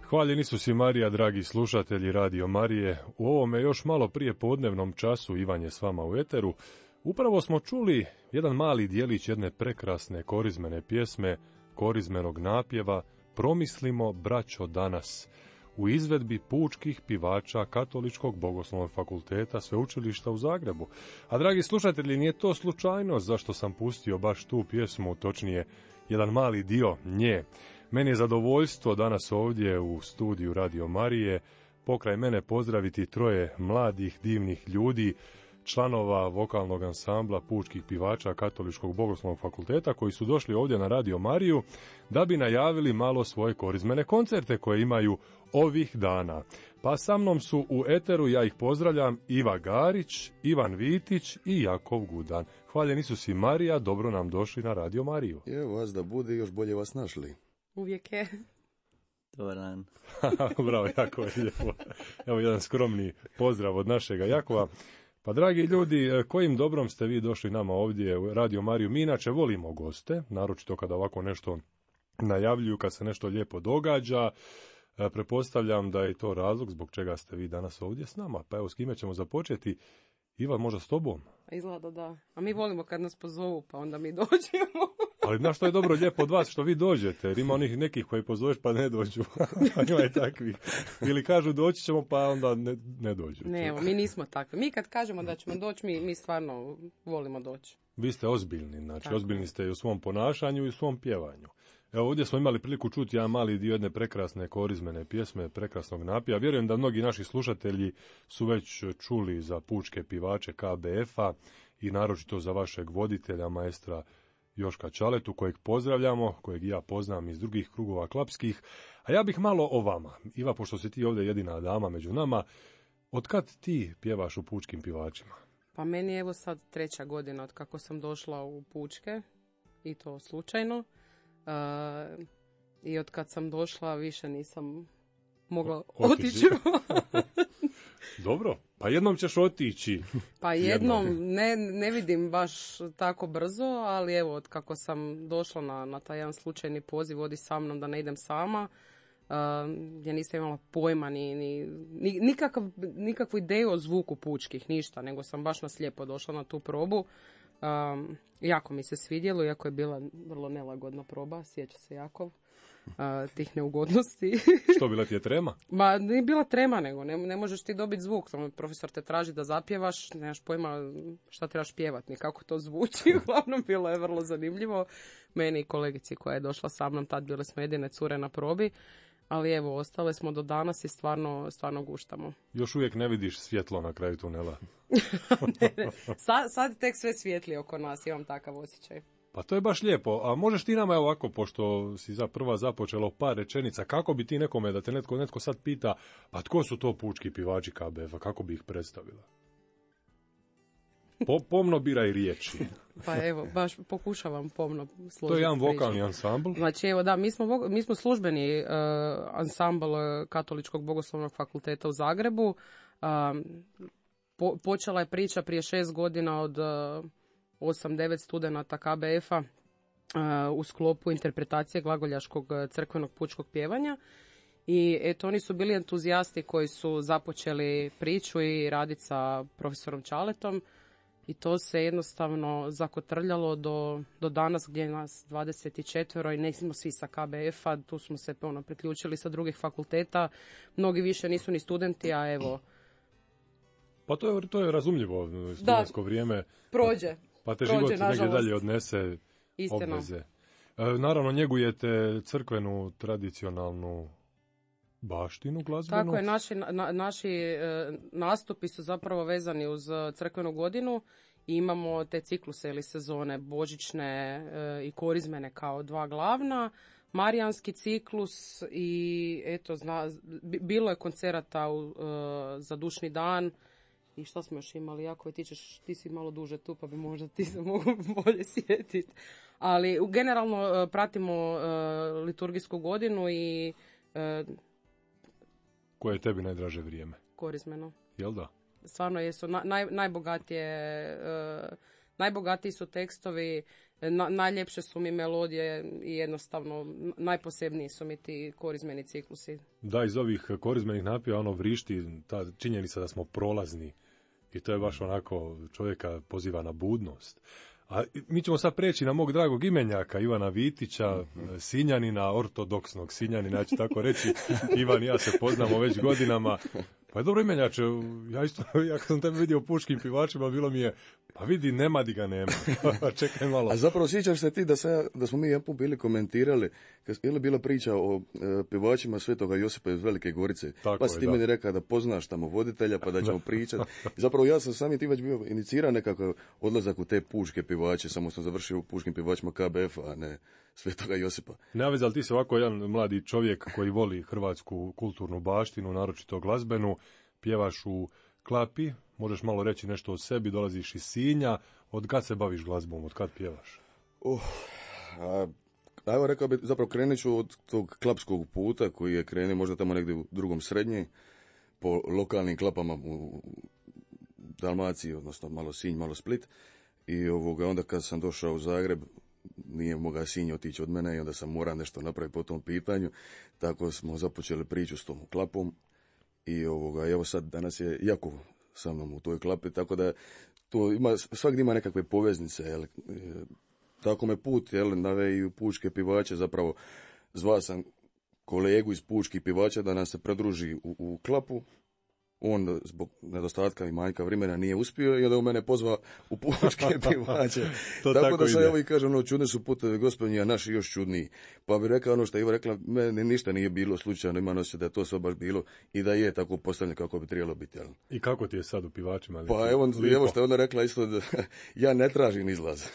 Hvaljeni su si Marija, dragi slušatelji Radio Marije. U ovome još malo prije podnevnom času Ivan je s vama u eteru. Upravo smo čuli jedan mali dijelić jedne prekrasne korizmene pjesme, korizmenog napjeva Promislimo, braćo, danas, u izvedbi pučkih pivača Katoličkog bogoslovnog fakulteta Sveučilišta u Zagrebu. A dragi slušatelji, nije to slučajno zašto sam pustio baš tu pjesmu, točnije jedan mali dio nje. Meni je zadovoljstvo danas ovdje u studiju Radio Marije pokraj mene pozdraviti troje mladih, divnih ljudi, članova vokalnog ansambla pučkih pivača Katoličkog bogoslovnog fakulteta koji su došli ovdje na Radio Mariju da bi najavili malo svoje korizmene koncerte koje imaju ovih dana. Pa sa mnom su u eteru, ja ih pozdravljam, Iva Garić, Ivan Vitić i Jakov Gudan. Hvaljeni su si Marija, dobro nam došli na Radio Mariju. Evo vas da bude, još bolje vas našli. Uvijek je. Dobar dan. Bravo, jako je lijepo. Evo jedan skromni pozdrav od našega Jakova. Pa dragi ljudi, kojim dobrom ste vi došli nama ovdje u Radio Mariju? Mi inače volimo goste, naročito kada ovako nešto najavljuju, kad se nešto lijepo događa. Pretpostavljam da je to razlog zbog čega ste vi danas ovdje s nama. Pa evo, s kime ćemo započeti? Ivan, možda s tobom? Izgleda da. A mi volimo kad nas pozovu, pa onda mi dođemo. Ali znaš što je dobro lijepo od vas, što vi dođete, jer ima onih nekih koji pozoveš pa ne dođu. Ima je takvih. Ili kažu doći ćemo pa onda ne dođu. Ne, evo, mi nismo takvi. Mi kad kažemo da ćemo doći, mi stvarno volimo doći. Vi ste ozbiljni, znači tako. Ozbiljni ste i u svom ponašanju i u svom pjevanju. Evo ovdje smo imali priliku čuti jedan mali dio jedne prekrasne korizmene pjesme, prekrasnog napjeva. Vjerujem da mnogi naši slušatelji su već čuli za pučke pivače KBF-a i naročito za vašeg voditelja, maestra Joška Čaletu, kojeg pozdravljamo, kojeg ja poznam iz drugih krugova klapskih. A ja bih malo o vama. Iva, pošto si ti ovdje jedina dama među nama, od kad ti pjevaš u pučkim pivačima? Pa meni je evo sad 3. godina od kako sam došla u pučke, i to slučajno. I od kad sam došla više nisam mogla otići. Dobro, pa jednom ćeš otići. Pa jednom, ne vidim baš tako brzo, ali evo, od kako sam došla na taj jedan slučajni poziv, vodi sa mnom da ne idem sama, ja nisam imala pojma, nikakvu ideju o zvuku pučkih, ništa, nego sam baš naslijepo došla na tu probu. Jako mi se svidjelo, iako je bila vrlo nelagodna proba, sjeća se Jakov, tih neugodnosti. Što, bila ti je trema? Ma, nije bila trema, nego ne možeš ti dobiti zvuk. Profesor te traži da zapjevaš, nemaš pojma šta trebaš pjevat, ni kako to zvuči. Uglavnom, bilo je vrlo zanimljivo. Meni i kolegici koja je došla sa mnom, tad bile smo jedine cure na probi. Ali evo, ostale smo do danas i stvarno guštamo. Još uvijek ne vidiš svjetlo na kraju tunela. ne. Sad tek sve svijetli oko nas, imam takav osjećaj. Pa to je baš lijepo. A možeš ti nama, evo ovako, pošto si prva započela par rečenica, kako bi ti nekome, da te netko sad pita, pa tko su to pučki pivači KBF-a, kako bi ih predstavila? Pomno biraj riječi. Pa evo, baš pokušavam pomno složiti. To je jedan vokalni ansambl. Znači evo da, mi smo službeni ansambl Katoličkog bogoslovnog fakulteta u Zagrebu. Počela je priča prije 6 godina od 8-9 studenata KBF-a u sklopu interpretacije glagoljaškog crkvenog pučkog pjevanja. I eto, oni su bili entuzijasti koji su započeli priču i raditi sa profesorom Čaletom. I to se jednostavno zakotrljalo do danas gdje je nas 24 i nismo svi sa KBF-a, tu smo se priključili sa drugih fakulteta, mnogi više nisu ni studenti, a evo. Pa to je razumljivo, studentsko vrijeme. Prođe. Pa te prođe, život negdje dalje odnese. Istina. Obveze. Naravno, njegujete crkvenu, tradicionalnu baštinu glazbenu. Tako je, naši nastupi su zapravo vezani uz crkvenu godinu i imamo te cikluse ili sezone božićne i korizmene kao dva glavna, marijanski ciklus i eto, bilo je koncerata za dušni dan. I što smo još imali, jako ti si malo duže tu, pa bi možda ti se mogu bolje sjetiti. Ali generalno pratimo liturgijsku godinu i koje je tebi najdraže vrijeme? Korizmeno. Jel da? Stvarno jesu najbogatiji su tekstovi, Najljepše su mi melodije i jednostavno najposebniji su mi ti korizmeni ciklusi. Da, iz ovih korizmenih napjeva ono vrišti ta činjenica da smo prolazni i to je baš onako čovjeka poziva na budnost. A mi ćemo sad preći na mog dragog imenjaka Ivana Vitića, Sinjanina, ortodoksnog Sinjanina, ja ću tako reći. Ivan i ja se poznamo već godinama. Pa je dobro imenjače, ja kad sam tebe vidio u Pučkim pjevačima, bilo mi je, pa vidi, nema di ga nema. Čekaj malo. A zapravo sjećaš se ti da smo mi jedan put bili komentirali, je li bila priča o pjevačima Svetoga Josipa iz Velike Gorice, tako pa si ti meni rekao da poznaš tamo voditelja, pa da ćemo pričati. Zapravo ja sam sami ti već bio inicirao nekakav odlazak u te pučke pjevače, samo sam završio u Pučkim pjevačima KBF-a, a ne Svetoga Josipa. Ne vez, ali ti si ovako jedan mladi čovjek koji voli hrvatsku kulturnu baštinu, naročito glazbenu, pjevaš u Klapi, možeš malo reći nešto o sebi, dolaziš iz Sinja, od kad se baviš glazbom, od kad pjevaš? Evo rekao bi, zapravo krenut ću od tog klapskog puta koji je krenuo možda tamo negdje u drugom srednje, po lokalnim klapama u Dalmaciji, odnosno malo Sinj, malo Split. I onda kad sam došao u Zagreb, nije mogao Sinj otići od mene i onda sam morao nešto napraviti po tom pitanju. Tako smo započeli priču s tom klapom i evo sad danas je Jakov sa mnom u toj klapi, tako da to ima, svakdje ima nekakve poveznice, jel? Tako me put, jel, nave i u pučke pjevače, zapravo zvao sam kolegu iz pučkih pjevača da nas se pridruži u klapu. On zbog nedostatka i manjka vremena nije uspio i onda u mene pozvao u pučke pjevače. Tako da sad evo i kažem, čudni su putevi Gospodnji, a naši još čudniji. Pa bi rekao ono što je Iva rekla, meni ništa nije bilo slučajno, ima osjećaj da je to sve baš bilo i da je tako postavljeno kako bi trebalo biti. Jel? I kako ti je sad u pjevačima? Pa evo što je ona rekla isto, da ja ne tražim izlaz.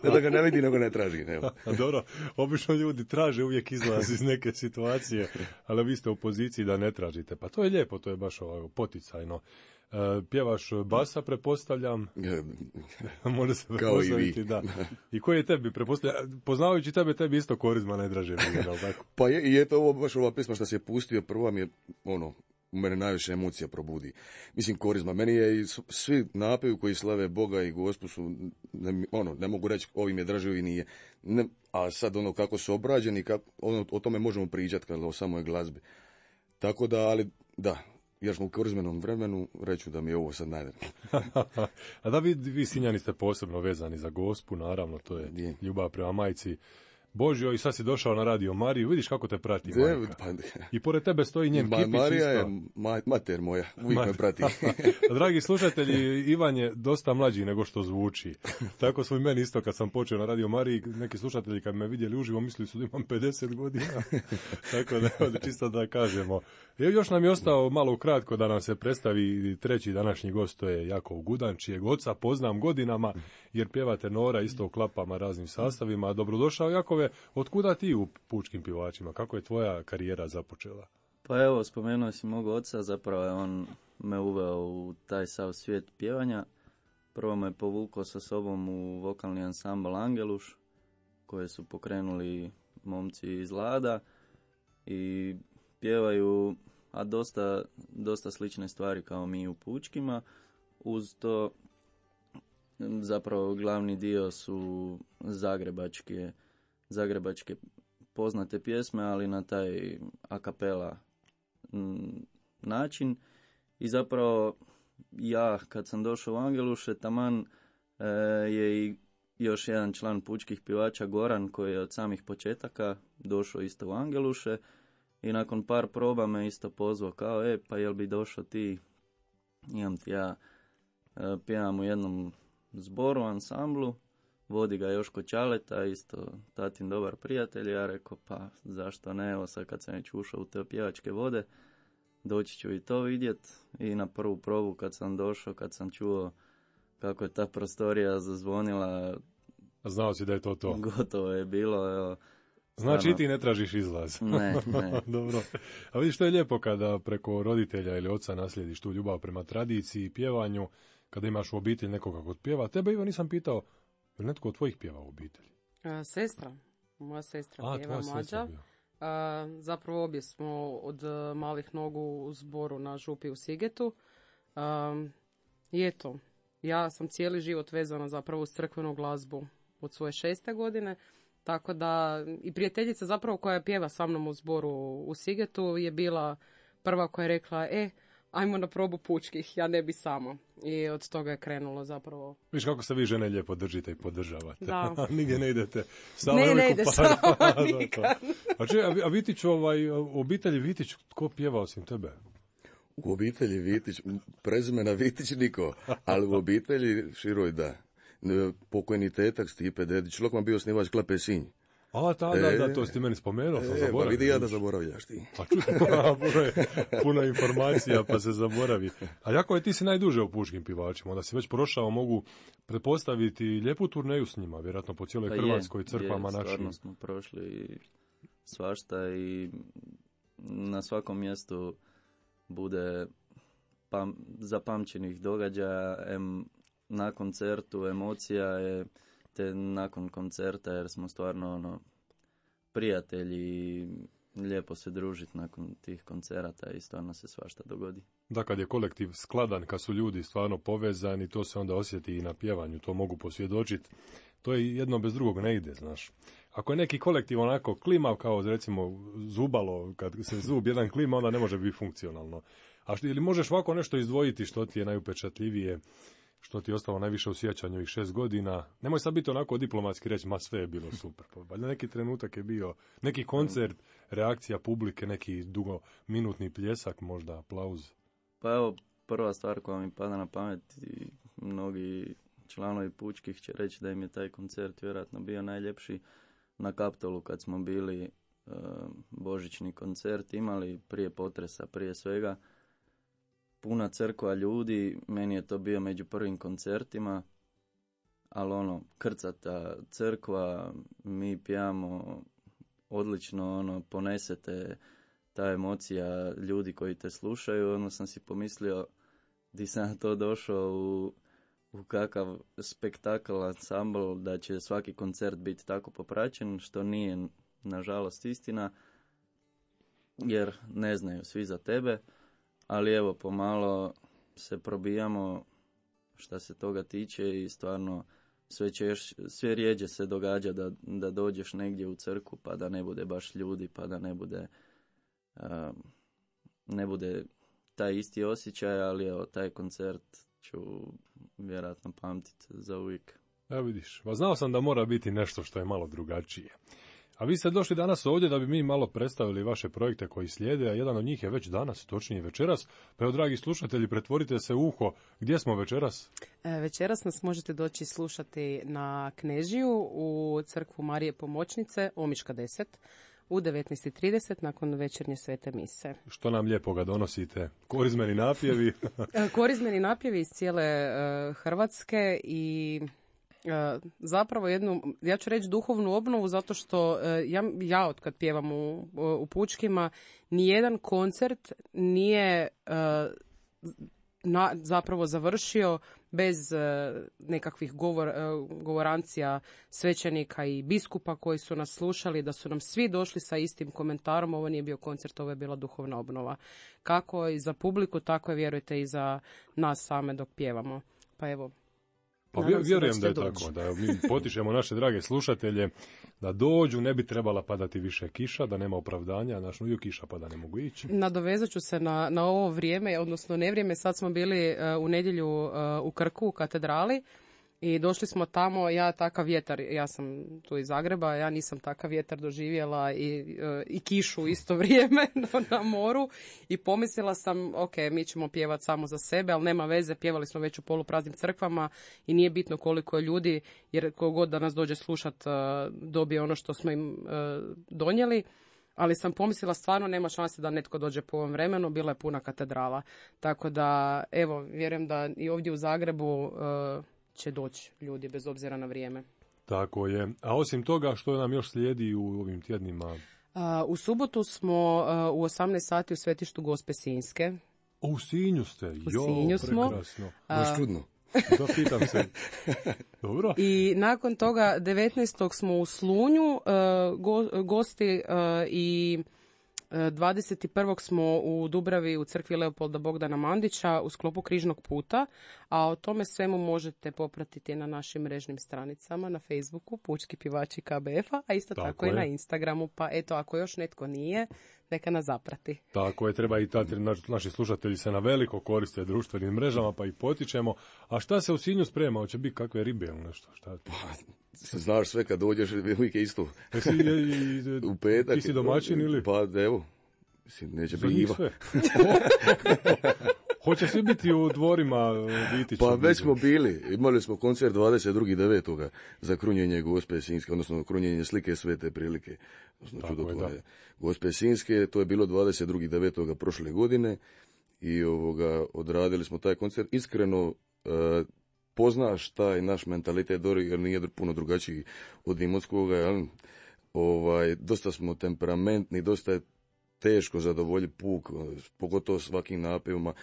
Da ga ne vidi, nego ne tražim. Evo. Dobro, obično ljudi traže uvijek izlaz iz neke situacije, ali vi ste u poziciji da ne tražite. Pa to je lijepo. To je baš ovako poticajno. Pjevaš basa, pretpostavljam. Može se pretpostaviti, da. I koji je tebi, pretpostavljam, poznavajući tebi isto korizma najdraže bilo, tako? Pa je, i eto ovo baš ova pisma što se je pustio, prva mi je, u mene najviše emocija probudi. Mislim, korizma. Meni je i svi napevi koji slave Boga i Gospu su, ne mogu reći ovim je draže, ovim nije. A sad kako su obrađeni, o tome možemo pričati kada o samoj glazbi. Tako da, ali da, jer smo u korizmenom vremenu, reću da mi je ovo sad najdraže. A da vi Sinjani ste posebno vezani za Gospu, naravno, to je ljubav prema majci Božjoj, i sad si došao na Radio Mariju, vidiš kako te prati majka. I pored tebe stoji njen kipić isto. Marija je mater moja, uvijek me prati. Dragi slušatelji, Ivan je dosta mlađi nego što zvuči. Tako su i meni isto kad sam počeo na Radio Mariji, neki slušatelji kad me vidjeli uživo mislili su da imam 50 godina. Tako da čisto da kažemo. Još nam je ostao malo kratko da nam se predstavi treći današnji gost, to je Jakov Gudan, čijeg oca poznam godinama, jer pjeva tenora isto u klapama raznim sastavima. Dobrodošao, Jakove, otkuda ti u pučkim pjevačima? Kako je tvoja karijera započela? Pa evo, spomenuo si mog oca, zapravo je on me uveo u taj sav svijet pjevanja. Prvo me povukao sa sobom u vokalni ansambl Angeluš, koje su pokrenuli momci iz Lada i pjevaju dosta slične stvari kao mi u pučkima. Uz to zapravo glavni dio su zagrebačke poznate pjesme, ali na taj a cappella način. I zapravo ja kad sam došao u Angeluše, taman je i još jedan član pučkih pjevača, Goran, koji je od samih početaka došao isto u Angeluše i nakon par proba me isto pozvao kao, pa jel bi došao ti, imam ti ja, pjevam u jednom zboru, ansamblu, vodi ga Joško Čaleta, isto tatin dobar prijatelj. Ja rekao, pa zašto ne, evo sad kad sam već ušao u te pjevačke vode, doći ću i to vidjet. I na prvu probu kad sam došao, kad sam čuo kako je ta prostorija zazvonila, znao si da je to to. Gotovo je bilo, evo. Znači i ti ne tražiš izlaz. Ne. Dobro. A vidiš, što je lijepo kada preko roditelja ili oca naslijediš tu ljubav prema tradiciji, pjevanju, kada imaš u obitelji nekoga kod pjeva. Tebe, Ivo, nisam pitao, je li netko od tvojih pjeva u obitelji? Sestra. Moja sestra pjeva, mlađa. Zapravo obje smo od malih nogu u zboru na župi u Sigetu. I eto, ja sam cijeli život vezana zapravo uz crkvenu glazbu. od svoje 6. godine. Tako da i prijateljica zapravo koja pjeva sa mnom u zboru u Sigetu je bila prva koja je rekla, ajmo na probu pučkih, ja ne bi samo. I od toga je krenulo zapravo. Viš kako se vi žene lijepo držite i podržavate. Da. Nigdje ne idete. Samo ne ide sama nikad. A Vitić, obitelji Vitić, tko pjeva osim tebe? U obitelji Vitić, prezimena Vitić niko, ali u obitelji široj da. Pokojni tetak Stipe Dedić, Lokman bio osnivač Klape Sinj. Da, to si ti meni spomenuo, sam zaboravio. Pa vidi ja da zaboravljaš ti. Pa puno informacija, pa se zaboravi. A jako ti si najduže u pučkim pjevačima, onda si već prošao, mogu pretpostaviti lijepu turneju s njima, vjerojatno po cijeloj Hrvatskoj, crkvama našim. Stvarno smo prošli svašta i na svakom mjestu bude zapamćenih događaja, na koncertu emocija je, te nakon koncerta, jer smo stvarno prijatelji i lijepo se družiti nakon tih koncerata i stvarno se svašta dogodi. Da, kad je kolektiv skladan, kad su ljudi stvarno povezani, to se onda osjeti i na pjevanju, to mogu posvjedočiti. To je jedno bez drugog ne ide, znaš. Ako je neki kolektiv onako klimav, kao recimo zubalo, kad se zub jedan klima, onda ne može biti funkcionalno. Ili možeš ovako nešto izdvojiti što ti je najupečatljivije, što ti je ostalo najviše u sjećanju ovih 6 godina. Nemoj sad biti onako diplomatski reći, sve je bilo super. Valjda neki trenutak je bio, neki koncert, reakcija publike, neki dugominutni pljesak, možda aplauz. Pa evo, prva stvar koja mi pada na pamet i mnogi članovi pučkih će reći da im je taj koncert vjerojatno bio najljepši na Kaptolu kad smo bili božićni koncert imali prije potresa, prije svega. Puna crkva ljudi, meni je to bio među prvim koncertima, ali krcata crkva, mi pijamo odlično, ponesete ta emocija ljudi koji te slušaju, onda sam si pomislio di sam to došao u kakav spektakl, ansambl, da će svaki koncert biti tako popraćen, što nije nažalost istina, jer ne znaju svi za tebe. Ali evo, pomalo se probijamo šta se toga tiče i stvarno sve rijeđe se događa da dođeš negdje u crkvu pa da ne bude baš ljudi, pa da ne bude taj isti osjećaj, ali evo, taj koncert ću vjerojatno pamtiti za uvijek. Evo vidiš, znao sam da mora biti nešto što je malo drugačije. A vi ste došli danas ovdje da bi mi malo predstavili vaše projekte koji slijede, a jedan od njih je već danas, točnije večeras. Pa evo, dragi slušatelji, pretvorite se u uho. Gdje smo večeras? Večeras nas možete doći slušati na Knežiju u crkvu Marije Pomoćnice, Omiška 10, u 19:30 nakon večernje svete mise. Što nam lijepoga donosite? Korizmeni napjevi? Korizmeni napjevi iz cijele Hrvatske i zapravo jednu, ja ću reći duhovnu obnovu, zato što ja od kad pjevam u pučkima, nijedan koncert nije zapravo završio bez nekakvih govorancija svećenika i biskupa koji su nas slušali, da su nam svi došli sa istim komentarom. Ovo nije bio koncert, ovo je bila duhovna obnova. Kako i za publiku, tako je, vjerujte, i za nas same dok pjevamo. Pa evo, pa vjerujem da je tako, da mi potičemo naše drage slušatelje da dođu, ne bi trebala padati više kiša, da nema opravdanja, uvijek kiša pa da ne mogu ići. Nadovezat ću se na ovo vrijeme, odnosno nevrijeme, sad smo bili u nedjelju u Krku, u katedrali, i došli smo tamo, ja takav vjetar, ja sam tu iz Zagreba, ja nisam takav vjetar doživjela i kišu u isto vrijeme na moru, i pomislila sam, ok, mi ćemo pjevati samo za sebe, ali nema veze, pjevali smo već u polupraznim crkvama i nije bitno koliko je ljudi, jer kogod da nas dođe slušat dobije ono što smo im donijeli. Ali sam pomislila, stvarno nema šanse da netko dođe po ovom vremenu, bila je puna katedrala. Tako da, evo, vjerujem da i ovdje u Zagrebu će doći ljudi bez obzira na vrijeme. Tako je. A osim toga, što nam još slijedi u ovim tjednima? U subotu smo u 18 sati u Svetištu Gospe Sinjske. U Sinju ste? U Sinju smo. Prekrasno. Baš čudno. Da, pitam se. Dobro. I nakon toga 19. smo u Slunju, gosti i 21. smo u Dubravi u crkvi Leopolda Bogdana Mandića u sklopu Križnog puta, a o tome svemu možete popratiti na našim mrežnim stranicama na Facebooku Pučki pjevači KBF-a, a isto tako i na Instagramu, pa eto, ako još netko nije, neka nas zaprati. Tako je, treba i naši slušatelji se na veliko koriste društvenim mrežama, pa ih potičemo. A šta se u Sinju sprema? Hoće biti kakve ribe ili nešto? Šta? Znaš, sve kad dođeš, uvijek je isto. U petak. Ti si domaćin ili? Pa evo, neće biti Iva. Hoće svi biti u dvorima Vitića? Pa već smo bili. Imali smo koncert 22.9. za krunjenje Gospe Sinjske, odnosno krunjenje slike Svete Prilike. Gospe Sinjske, to je bilo 22.9. prošle godine i odradili smo taj koncert. Iskreno, poznaš taj naš mentalitet Dori, jer nije puno drugačiji od Imotskoga, dosta smo temperamentni, dosta je teško zadovoljiti puk, pogotovo svakim napevima.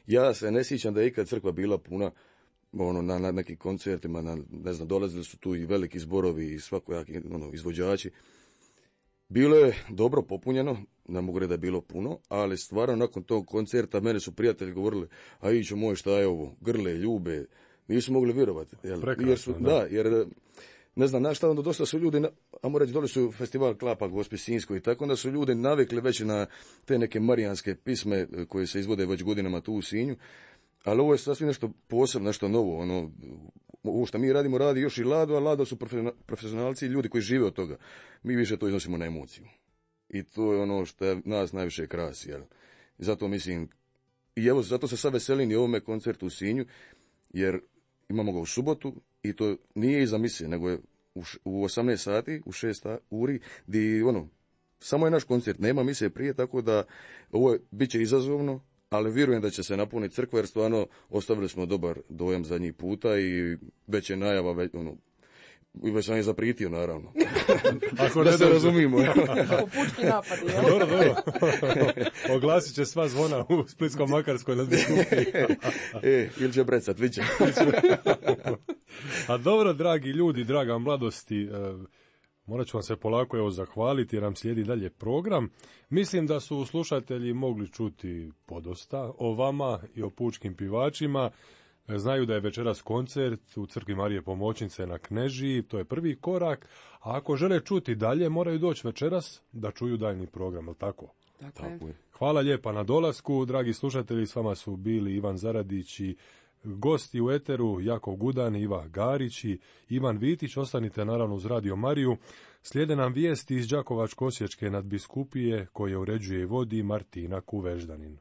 Ja se ne sjećam da je ikad crkva bila puna na nekim koncertima, dolazili su tu i veliki zborovi i svakojaki izvođači. Bilo je dobro popunjeno, ne mogu reći da je bilo puno, ali stvarno nakon tog koncerta mene su prijatelji govorili, a iću moj, šta je ovo, grle, ljube, nisu mogli vjerovati. Jer ne znam, šta onda dosta su ljudi, ajmo reći, dole su festival Klapa Gospe Sinjskoj i tako, onda su ljudi navikli već na te neke marijanske pisme koje se izvode već godinama tu u Sinju, ali ovo je sasvim nešto posebno, nešto novo, ovo što mi radimo radi još i Lado, a Lado su profesionalci i ljudi koji žive od toga. Mi više to iznosimo na emociju. I to je ono što nas najviše krasi, jel? I zato mislim, i evo, zato se sad veselim i ovome koncertu u Sinju, jer imamo ga u subotu i to nije iza misije, nego je u 18 sati, u 6 uri, gdje samo je naš koncert, nema misije prije, tako da ovo bit će izazovno, ali vjerujem da će se napuniti crkva, jer stvarno ostavili smo dobar dojam zadnjih puta i već je najava, već sam je zapritio, naravno. Ako da se razumimo. Pučki napad, jel? Dobro. Oglasit će sva zvona u Splitsko-Makarskoj na biskupiji. Ili će brecat, viće. A dobro, dragi ljudi, draga mladosti, morat ću vam se polako zahvaliti jer nam slijedi dalje program. Mislim da su slušatelji mogli čuti podosta o vama i o pučkim pjevačima. Znaju da je večeras koncert u crkvi Marije Pomoćnice na Knežiji, to je prvi korak, a ako žele čuti dalje, moraju doći večeras da čuju daljni program, je li tako? Tako je. Hvala lijepa na dolasku, dragi slušatelji, s vama su bili Ivan Zaradić i gosti u eteru Jakov Gudan, Iva Garić i Ivan Vitić. Ostanite naravno uz Radio Mariju. Slijede nam vijesti iz Đakovačko-Osječke nadbiskupije koje uređuje i vodi Martina Kuveždanin.